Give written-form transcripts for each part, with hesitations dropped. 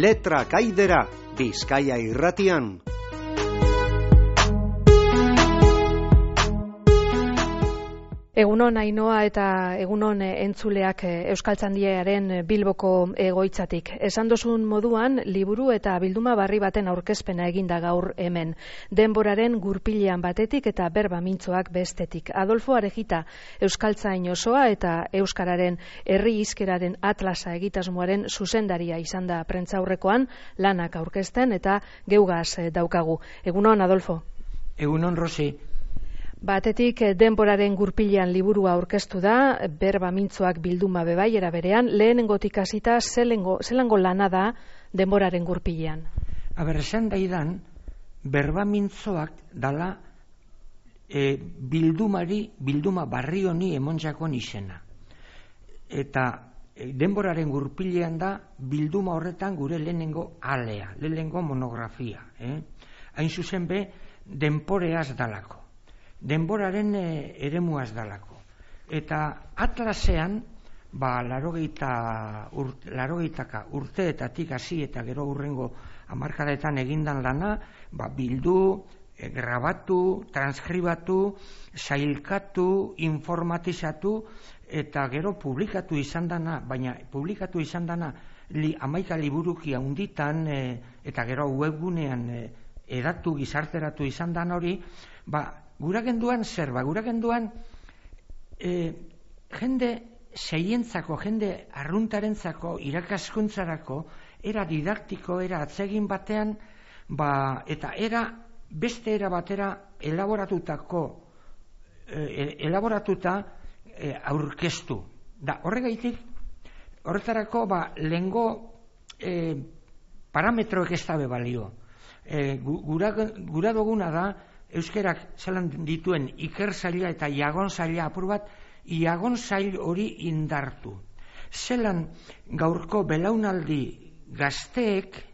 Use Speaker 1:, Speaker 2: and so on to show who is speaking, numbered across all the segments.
Speaker 1: Letra Kaidera, Bizkaia Irratian.
Speaker 2: Egunon Ainoa eta egunon entzuleak Euskaltzaindiaren Bilboko egoitzatik. Esan dozun moduan, liburu eta bilduma barri baten aurkezpena eginda gaur hemen. Denboraren gurpilean batetik eta berba mintzoak bestetik. Adolfo Arejita, Euskaltzain osoa eta Euskararen herri hizkeraren atlasa egitasmoaren zuzendaria izan da prentsaurrekoan, lanak aurkezten eta geugaz daukagu. Egunon, Adolfo.
Speaker 3: Egunon, Rosi.
Speaker 2: Batetik denboraren gurpilean liburua aurkeztu da, berba mintzoak bilduma bebai era berean, lehenengotik hasita zelango lana da denboraren gurpilean?
Speaker 3: Esan daidan, berba mintzoak dala bilduma barri honi emonjakon izena. Eta denboraren gurpilean da bilduma horretan gure lehenengo alea, lehenengo monografia. Hain zuzen be, denporeaz dalako. Denboraren eremuaz dalako. Eta atlasean, 80 urteetatik hasi eta gero hurrengo hamarkadetan egindan lana, bildu, grabatu, transkribatu, sailkatu, informatizatu eta gero publikatu izan dana, baina publikatu izan dana 11 liburuki handitan eta gero webgunean edatu gizarteratu izan dan hori, guragenduan zer, guragenduan jende seientzako, jende arruntarentzako, irakaskuntzarako, era didaktiko, era atsegin batean, eta beste era batera elaboratuta aurkeztu. Da, horretarako, lehengo parametroek ez dabe balio. Gura duguna da, euskerak zelan dituen iker zaila eta iagon zaila apur bat, iagon zail hori indartu. Zelan gaurko belaunaldi gazteek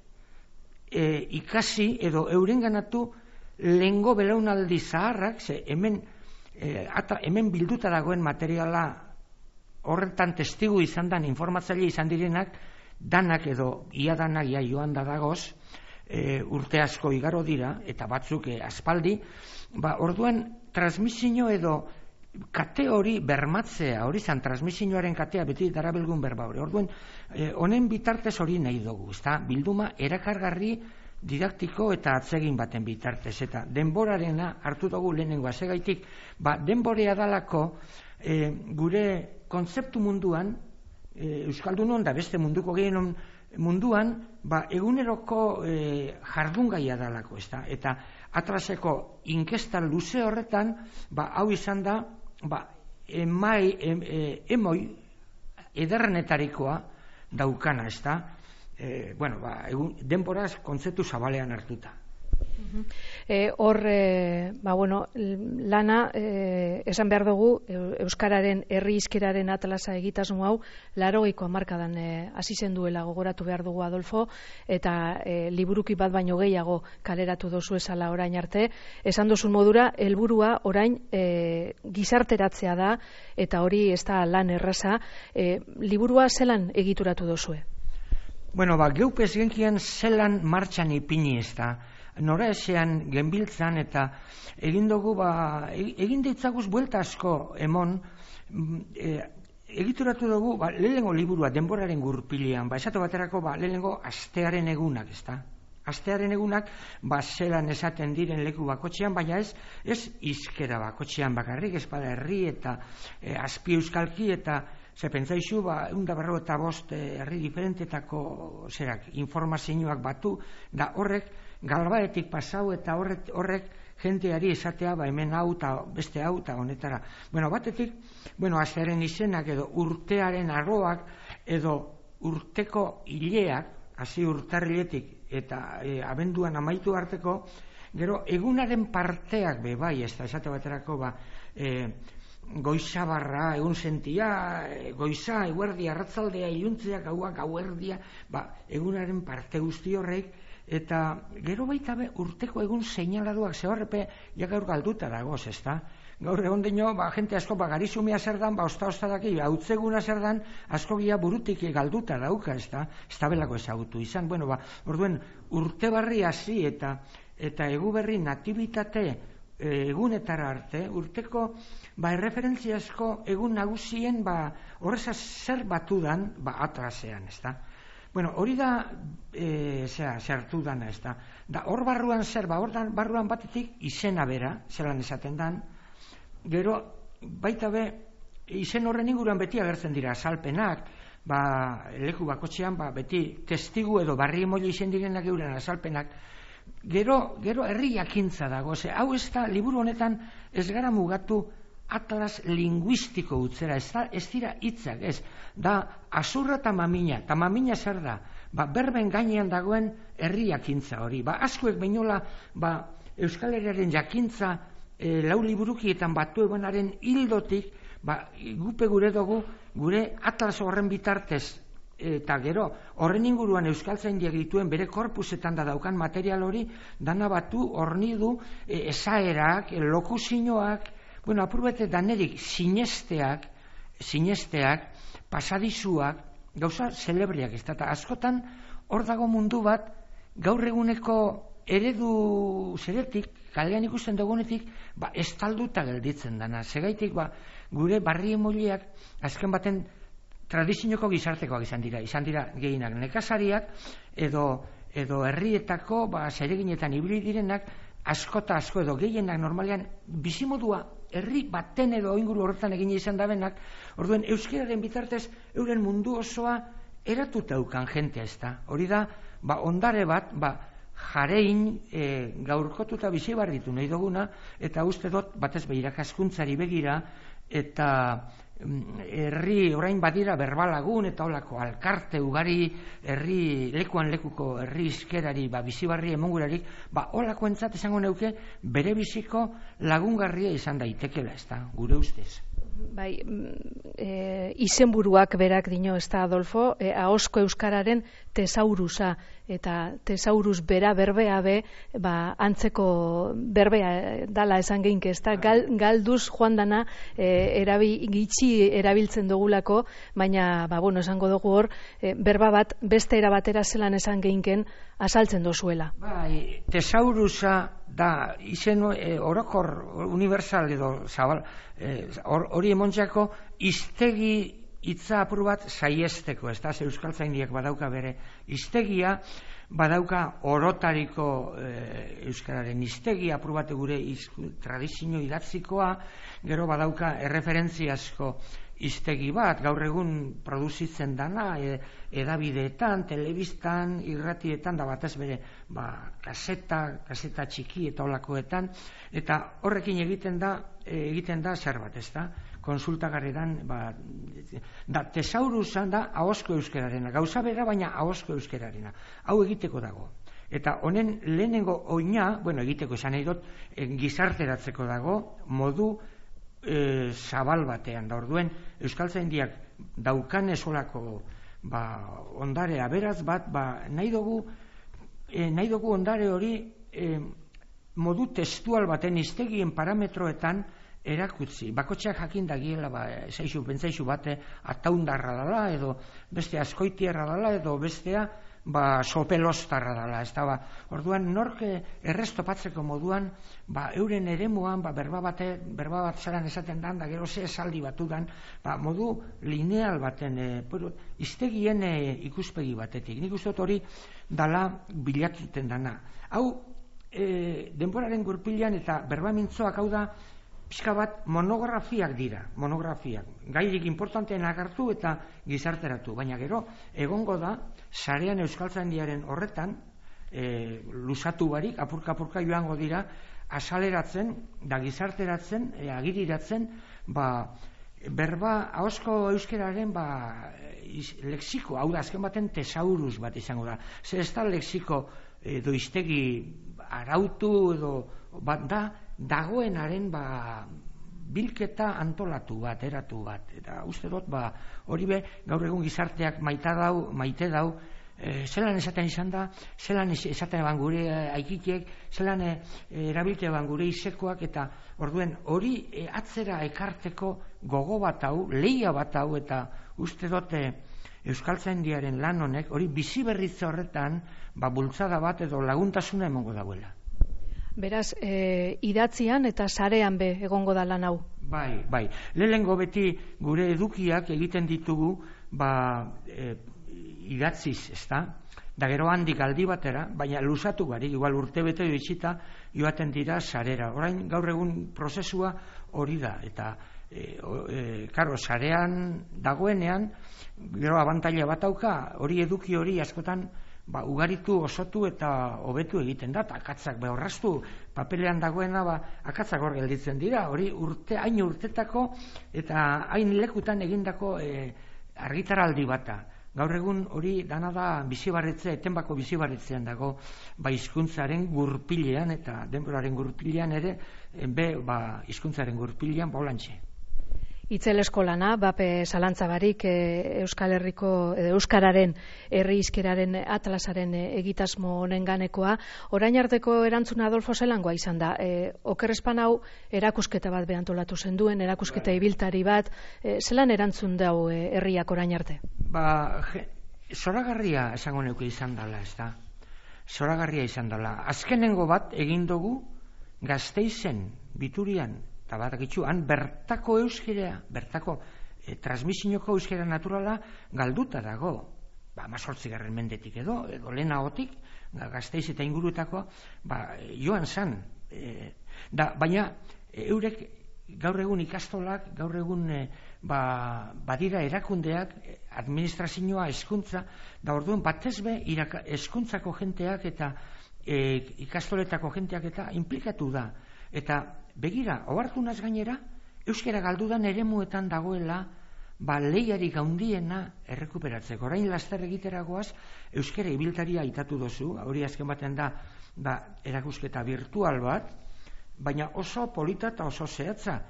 Speaker 3: ikasi edo eurenganatu lehengo belaunaldi zaharrak, hemen bilduta dagoen materiala horretan testigu izan dan, informatzaile izan direnak, danak edo ia danak joan da dagoz, urte asko igaro dira, eta batzuk aspaldi, orduan transmisio edo kate hori bermatzea, hori zan transmisioaren katea beti darabilgun berba hori. Orduan, honen bitartez hori nahi dugu, bilduma erakargarri didaktiko eta atsegin baten bitartez, eta denborarena hartu dugu lehenengo azegaitik, denborea dalako gure kontzeptu munduan, Euskaldunon da beste munduko gehienon munduan, eguneroko jardungaia dalako, eta atlaseko inkesta luze horretan, hau izan da, emoi ederrenetarikoa daukana, denboraz kontzeptu zabalean hartuta.
Speaker 2: Hor, lana, esan behar dugu, Euskararen herri hizkeraren atlasa egitasmo hau, 80ko hamarkadan hasi zen duela gogoratu behar dugu, Adolfo, eta liburuki bat baino gehiago kaleratu dozu esala orain arte. Esan duzun modura, helburua orain gizarteratzea da, eta hori ez da lan erraza. Liburua zelan egituratu dozue?
Speaker 3: Geupez genkian zelan martxan ipini ez da. Nora esean genbiltzan eta egin dugu, egin ditzaguz buelta asko emon, egituratu dugu, lehenengo liburua denboraren gurpilean, esatu baterako, lehenengo astearen egunak, Astearen egunak, zelan esaten diren leku bakotxean, baina ez hizkera bakotxean bakarrik, ez herri eta azpi euskalki eta ze pentsaizu, 155 herri diferentetako informazioak batu, da horrek galbaetik pasau eta horrek jenteari esatea, hemen hau eta beste hau eta honetara. Batetik, astearen izenak edo urtearen arroak edo urteko hileak, hasi urtarriletik eta abenduan amaitu arteko, gero egunaren parteak bebai, esate baterako goiza barra, egun sentia, goiza, eguerdia, arratzaldea, iluntzea, gaua, gauerdia, egunaren parte guzti horrek, eta gero baita urteko egun seinaladuak, ze horrepe, gaur galduta dagoz, gaur egon dino, jente asko, garizumia zer dan, osta daki, hautzeguna zer dan, asko gira burutik galduta dauka, ez da belako ezagutu izan. Bueno, orduen, urte barri hasi eta egu berri natibitate egunetara arte, urteko erreferentziazko egun nagusien horrezaz zer batudan atlasean, ez da. Bueno, hori da zertu dana, ez da. Hor barruan zer, hor barruan batetik izena bera, zelan esaten dan, gero baita be, izen horren inguruan beti agertzen dira azalpenak, leku bakotxean beti testigu edo barri emoli izen direnak euren azalpenak, gero herri jakintza dago, hau ez da, liburu honetan ez gara mugatu atlas linguistiko utzera, ez dira hitzak, ez, da azurra eta mamina zer da, berben gainean dagoen herri jakintza hori, askoek bainola Euskal Herriaren jakintza lau liburukietan batu egonaren hildotik, gupe gure dugu, gure atlas horren bitartez, eta gero, horren inguruan euskaltzaindiak dituen bere korpusetan da daukan material hori, dana batu, hornidu, esaerak, lokuzioak, bueno, apurbete danerik sinesteak, pasadizuak, gauza celebriak, ez da, askotan hor dago mundu bat, gaur eguneko eredu zeretik, kalean ikusten dugunetik, estalduta gelditzen dana. Segaitik, gure barri emoliak, azken baten tradizioko gizartekoak izan dira gehienak nekazariak, edo herrietako, zereginetan ibili direnak, asko edo gehienak normalean bizimodua herri baten edo inguru horretan egin izan dabenak, orduen euskeraren bitartez euren mundu osoa eratuta ukan jentea ez da. Hori da, ondare bat, jarein gaurkotuta bizi barritu nahi duguna, eta uste dut batez irakaskuntzari begira, eta herri orain badira berbalagun eta olako alkarte ugari herri lekuan lekuko herri iskerari bizi barri emongurarik, olako entzat esango neuke bere biziko lagungarria izan daitekela, ez da, gure ustez.
Speaker 2: Bai, izenburuak berak dino, ez da, Adolfo, ahozko euskararen tesaurusa, eta tesaurus bera berbea be, antzeko berbea dala esan geinke, ez da, galduz joan dana gitxi erabiltzen dugulako, baina, esango dugu hor, berba bat beste erabatera zelan esan geinken asaltzen dozuela.
Speaker 3: Bai, tesaurusa da izen orokor universal edo zabal, hori emontxako iztegi hitza apur bat saiesteko, ez da, euskaltzaindiak badauka bere iztegia, badauka orotariko euskararen iztegia apur bat gure tradizio idatzikoa, gero badauka erreferentziazko iztegi bat, gaur egun produzitzen dana, edabideetan, telebistan, irratietan, da batez bere, kaseta txiki eta olakoetan, eta horrekin egiten da zer bat, ez da? Konsultagarretan, da tesaurusan da ahozko euskararena, gauza bera baina ahozko euskararena, hau egiteko dago. Eta honen lehenengo oina, egiteko esan nahi dut, gizarteratzeko dago, modu zabal batean, da orduen euskaltzaindiak daukan esolako ondare aberaz bat, nahi dugu ondare hori modu testual baten iztegien parametroetan erakutzi. Bakotxeak jakin dagiela, pentsaizu bate ataundarra dala, edo beste askoitierra dala, edo bestea sopelostarra dala. Orduan, norke errestopatzeko moduan, euren eremuan, berba bat zaran esaten dan, da gero ze esaldi batudan, modu lineal baten, iztegien ikuspegi batetik. Nik uste hori dala bilatuten dana. Hau, denboraren gurpilan eta berba mintzoak hau da, pixka bat monografiak dira, gairik importantenak hartu eta gizarteratu, baina gero egongo da, sarean euskaltzaindiaren horretan, lusatu barik, apurka joango dira, asaleratzen, da gizarteratzen, agiriratzen, berba ahozko euskararen lexiko, hau da, azken baten tesaurus bat izango da. Zer ez da lexiko edo iztegi arautu edo bat da, dagoenaren bilketa antolatu bat, eratu bat. Eta uste dut, hori be, gaur egun gizarteak maite dau, zelan esaten izan da, zelan esaten eban gure aikitiek, zelan erabilte eban gure izekoak, eta orduen hori atzera ekarteko gogo bat hau, lehia bat hau, eta uste dute Euskaltzaindiaren lan honek, hori bizi berritze horretan, bultzada bat edo laguntasuna emongo dauela.
Speaker 2: Beraz, idatzian eta sarean be egongo da lan hau.
Speaker 3: Bai. Lehengo beti gure edukiak egiten ditugu, idatziz, ezta? Da gero handik aldi batera, baina luzatu barik, igual urtebete bitxita, joaten dira sarera. Orain gaur egun prozesua hori da, eta karo, sarean dagoenean, gero abantaila bat dauka, hori eduki hori askotan ugaritu, osotu eta hobetu egiten da, akatzak behorraztu, papelean dagoena, akatzak hor gelditzen dira, hori hain urtetako eta hain lekutan egindako argitaraldi bata. Gaur egun hori dana da bizibarretzea, etenbako bizibarretzean dago, hizkuntzaren gurpilean eta denboraren gurpilean ere, hizkuntzaren gurpilean bolantxe.
Speaker 2: Itzelesko lana, bape zalantzabarik Euskal Herriko Euskararen herri hizkeraren atlasaren egitasmo honen ganekoa. Orain arteko erantzuna Adolfo zelangoa izan da. Okerrespan hau erakusketa bat behantolatu zenduen, erakusketa ibiltari bat, zelan erantzun dau herriak orain arte?
Speaker 3: Zoragarria esango neuke izan dela, ez da? Zoragarria izan dela. Azkenengo bat egin dugu Gasteizen, Biturian, eta batakitzu, han bertako euskera, bertako transmisioko euskera naturala galduta dago. 18. mendetik edo lehenagotik, Gasteiz eta inguruetako, joan zan. Baina, eurek gaur egun ikastolak, gaur egun badira erakundeak, administrazioa, hezkuntza, da orduan batez be hezkuntzako jenteak eta ikastoletako jenteak eta implikatu da. Eta begira, ohartunaz gainera, euskara galdudan eremuetan dagoela lehiarik handiena errekuperatzeko. Orain laster egiteragoaz, euskara ibiltaria aitatu dozu, hori azken baten da erakusketa virtual bat, baina oso polita eta oso zehatza.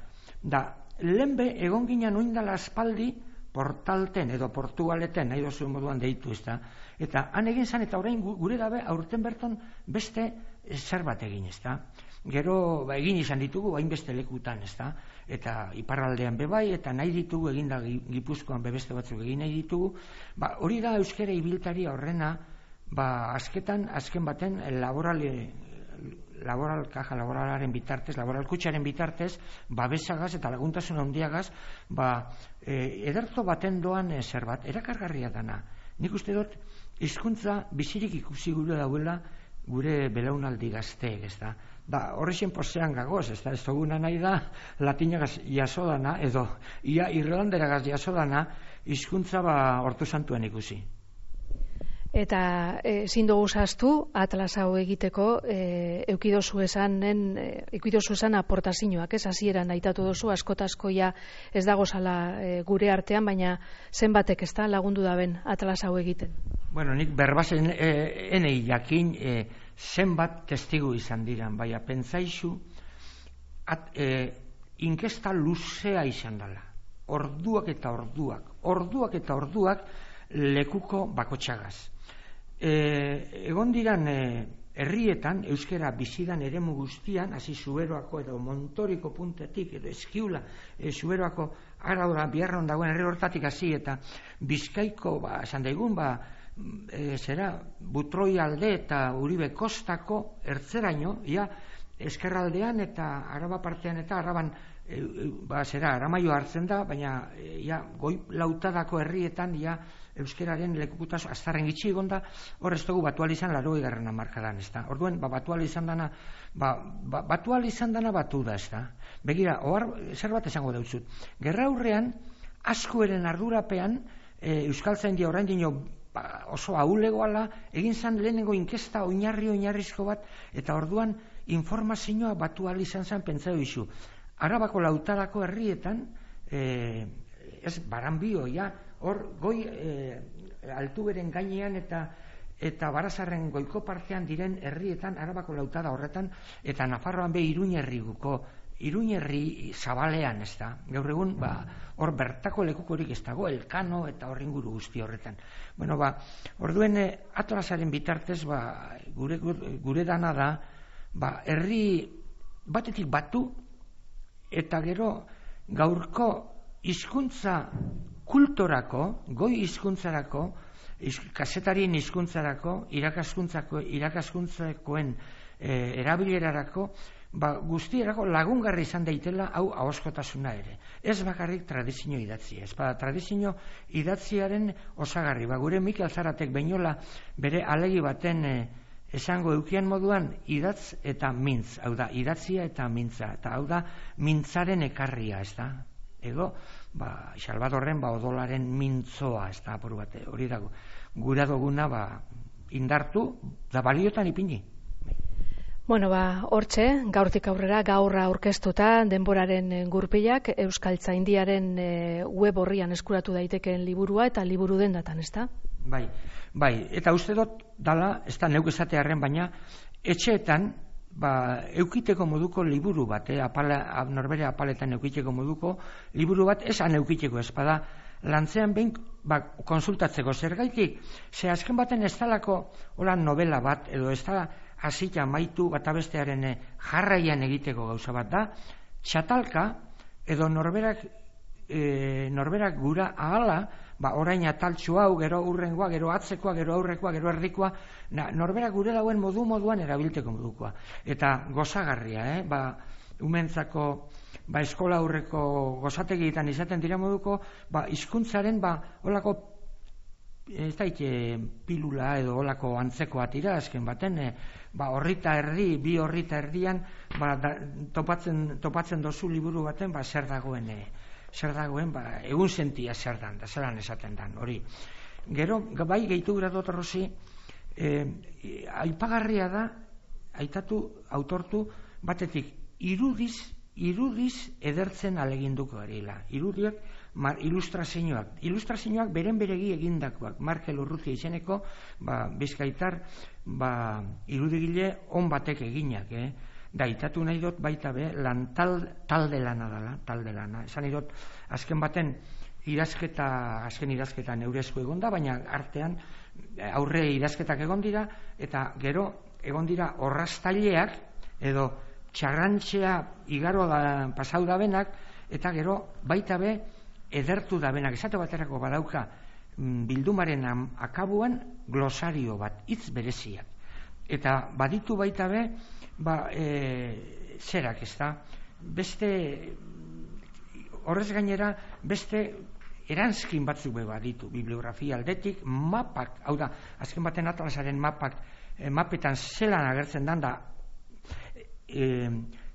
Speaker 3: Lehenbe egon ginen oindala aspaldi portalten edo portugaleten, nahi dozuen moduan deitu, ez da. Eta han egin zan, eta orain gure dabe aurten berton beste zer bat egin, ez da. Gero egin izan ditugu hainbeste lekutan, ez da. Eta iparraldean bebai, eta nahi ditugu eginda Gipuzkoan beste batzuk egin nahi ditugu. Hori da euskara ibiltaria horrena, azken baten laboralaren bitartez, laboralkutxaren bitartez, babesagaz eta laguntasun handiagaz, ederto baten doan zer bat, erakargarria dana. Nik uste dut, hizkuntza bizirik ikusi gure dauela gure belaunaldi gazteek, ez da. Horrexen posean gagoz, ez da, ez duguna nahi da, latinagaz jasodana, edo ia irlanderagaz jasodana, hizkuntza hortu santuan ikusi.
Speaker 2: Eta ezin dugu zaztu, atlas hau egiteko, eukidozu esan aportazioak, ez hasieran aitatu dozu, askotaskoia ez dago zala gure artean, baina zenbatek ez da lagundu daben atlas hau egiten.
Speaker 3: Bueno, nik berbazen enei jakin zenbat testigu izan diran, baina pentsaizu inkesta luzea izan dela. Orduak eta orduak lekuko bakotxagaz. Egon diran herrietan, euskera bizidan eremu guztian, hasi Zuberoako edo Montoriko puntetik, edo Eskiula, Zuberoako Araura, Biarron dagoen herri hortatik hasi, eta Bizkaiko, esan daigun, Butroi alde eta Uribe kostako ertzeraino, eskerraldean eta Araba partean eta Araban, Aramaio hartzen da, baina goi lautadako herrietan, euskeraren lekukutazo aztarren gitxi egonda, hor ez dugu batual izan 80. hamarkadan, ez da. Orduen, batual izan dana batu da, ez da. Begira, zer bat esango dautzut. Gerra aurrean, askoeren ardurapean, Euskaltzaindia orain dino oso ahulegoala, egin zan lehenengo inkesta oinarrizko bat, eta orduan informazioa batual izan zen pentsatu izu. Arabako lautadako herrietan, ez Baranbio, hor goi altuberen gainean eta Barazarren goiko partean diren herrietan, Arabako lautada horretan, eta Nafarroan Iruñerriguko Iruñerri zabalean, ez da, gaur egun, hor bertako lekukorik ez dago, Elkano eta hor inguru guzti horretan. Bueno, orduen Atlasaren bitartez, gure dana da, herri batetik batu, eta gero gaurko hizkuntza kulturako, goi hizkuntzarako, kazetarien hizkuntzarako, irakaskuntzakoen erabilerarako, guztierako lagungarri izan daitela hau ahoskotasuna ere. Ez bakarrik tradizio idatzia. Ez tradizio idatziaren osagarri. Gure Mikel Zaratek Beñola bere alegi baten esango eukian moduan idatz eta mintz. Hau da, idatzia eta mintza. Eta hau da, mintzaren ekarria, ez da. Edo, Salvadorren odolaren mintzoa, ez da, apur bate. Hori dago. Gura duguna indartu da baliotan ipini.
Speaker 2: Bueno, hortxe, gaurtik aurrera, gaur aurkeztuta denboraren gurpilak Euskaltzaindiaren web orrian eskuratu daitekeen liburua eta liburu dendatan, ez da?
Speaker 3: Bai, eta uste dut dala, ez da neuk esatearen, baina etxeetan eukiteko moduko liburu bat, norbere apaletan eukiteko moduko liburu bat, esan eukiteko ez bada, lantzean behin konsultatzeko zergaitik, ze azken baten ez dalako novela bat, edo ez da hasita maitu batabestearen jarraian egiteko gauza bat da, txatalka edo norberak gura ahala, orain ataltxu hau, gero urrengoa, gero atzekoa, gero aurrekoa, gero erdikoa, norberak gure dauen moduan erabilteko modukoa. Eta gozagarria, umentzako eskola aurreko gozategietan izaten dira moduko, hizkuntzaren olako ez daite pilula edo olako antzekoa tira, azken baten, horrita erdi, bi horrita erdian, topatzen dozu liburu baten, zer dagoen, egun sentia zer dan, da zelan esaten dan, hori. Gero, bai gehitu gura dut horrozi, aipagarria da, autortu, batetik, irudiz edertzen aleginduko garela. Irudiak, ilustrazioak beren beregi egindakoak. Markel Urrutia izeneko, bizkaitar, irudigile on batek eginak, da itatu nahi dut baita lan talde lana dela, talde lana. Esan nahi dut, azken baten, azken idazketa neurezko egon da, baina artean aurre idazketak egon dira, eta gero egon dira orraztaileak, edo txarrantxea igaro da pasau da benak, eta gero baita edertu da benak. Esate baterako badauka bildumaren akabuan glosario bat, hitz bereziak. Eta baditu baita zerak, ez da, beste, horrez gainera, beste eranskin batzuk baditu, bibliografia aldetik, mapak, hau da, azken baten Atlasaren mapetan zelan agertzen dan da,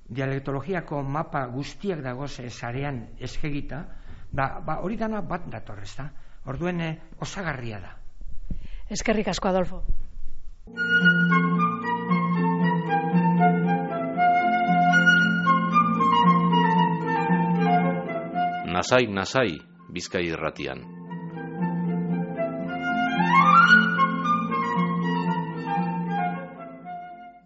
Speaker 3: dialektologiako mapa guztiak dagoz sarean eskegita, hori dana bat datorrez da. Orduen osagarria da.
Speaker 2: Eskerrik asko, Adolfo.
Speaker 4: Nasai, Bizkai Irratian.